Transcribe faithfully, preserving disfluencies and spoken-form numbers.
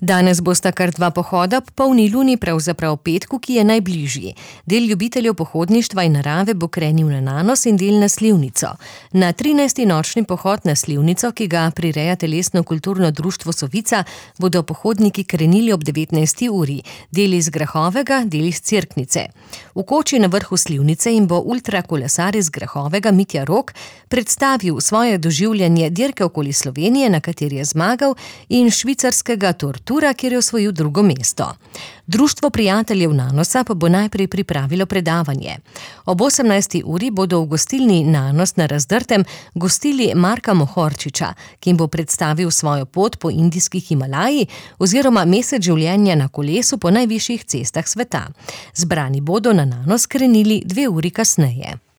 Danes bosta kar dva pohoda, polni luni pravzaprav petku, ki je najbližji. Del ljubiteljev pohodništva in narave bo krenil na Nanos in del na Slivnico. Na trinajsti nočni pohod na Slivnico, ki ga prireja Telesno-kulturno društvo Sovica, bodo pohodniki krenili ob devetnajsti uri. Del iz Grahovega, del iz Cerknice. V koči na vrhu Slivnice jim bo ultrakolesar iz Grahovega Mitja Rok predstavil svoje doživljanje dirke okoli Slovenije, na kateri je zmagal, in švicarskega Tortura, kjer je osvojil drugo mesto. Društvo prijateljev Nanosa pa bo najprej pripravilo predavanje. Ob osemnajsti uri bodo v gostilni Nanos na Razdrtem gostili Marka Mohorčiča, ki jim bo predstavil svojo pot po indijski Himalaji oziroma mesec življenja na kolesu po najvišjih cestah sveta. Zbrani bodo na Nanos krenili dve uri kasneje.